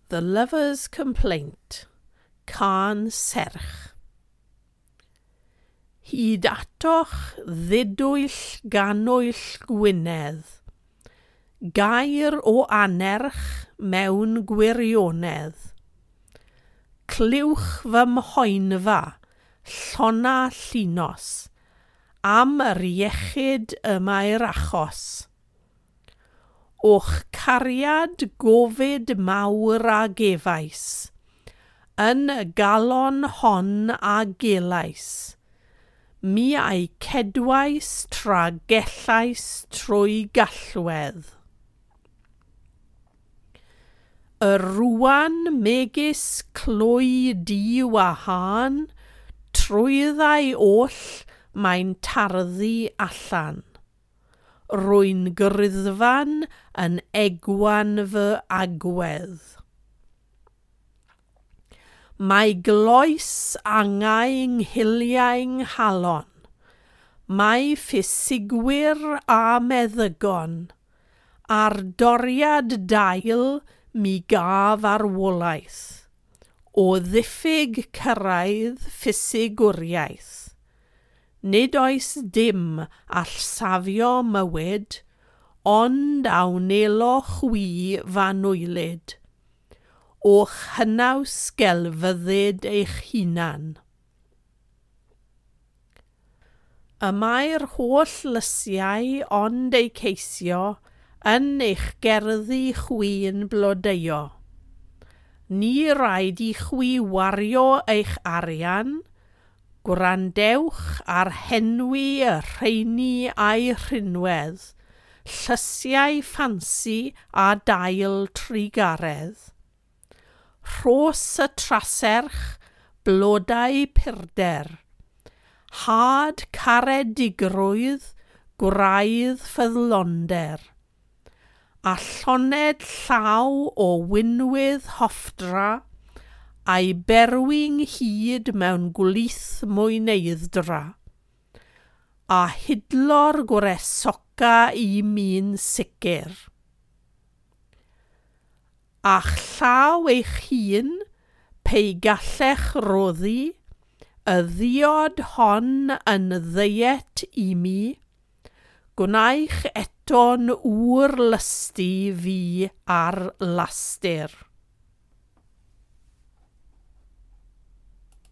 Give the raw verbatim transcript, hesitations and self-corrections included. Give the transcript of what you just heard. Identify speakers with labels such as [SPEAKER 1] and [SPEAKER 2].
[SPEAKER 1] The Lover's Complaint, Cân Serch. Hyd atoch ddidwyll gannwyll Gwynedd, gair o anerch mewn gwirionedd. Clywch fy mhoenfa, llona llinos, am yr iechyd y mae'r achos. O'ch cariad gofid mawr a gefais, yn y galon hon a gelais, mi a'i cedwais tra gellais trwy gallwedd. Y rwan megis clwy diwahân, trwyddau oll mae'n tarddu allan. Rwy'n gryddfan yn egwan fy agwedd. Mae gloes angau 'nghiliau 'nghalon, mae ffisigwyr a meddygon, a'r doriad dail mi gaf arwolaeth, o ddiffyg cyrraedd ffisigwriaeth. Nid oes dim all safio mywyd, ond a wnelo chwi f'anwylyd, o'ch hynaws gelfyddyd eich hunan. Y mae'r holl lysiau ond eu ceisio yn eich gerddi chwi'n blodeuo. Ni raid i chwi wario eich arian, gwrandewch ar henwi y rheini a'i rhinwedd, llysiau ffansi a dail trugaredd. Rhos y traserch, blodau purder, had caredigrwydd, gwraidd ffyddlonder, a lloned llaw o winwydd hoffdra, a'i berwi ynghyd mewn gwlith mwyneidd-dra, a hidlo'r gwresoca i mi'n sicr. A'ch llaw eich hun, pe gallech roddi, y ddiod hon yn ddiet i mi, gwnaech eto'n ŵr lysti fi ar lastir.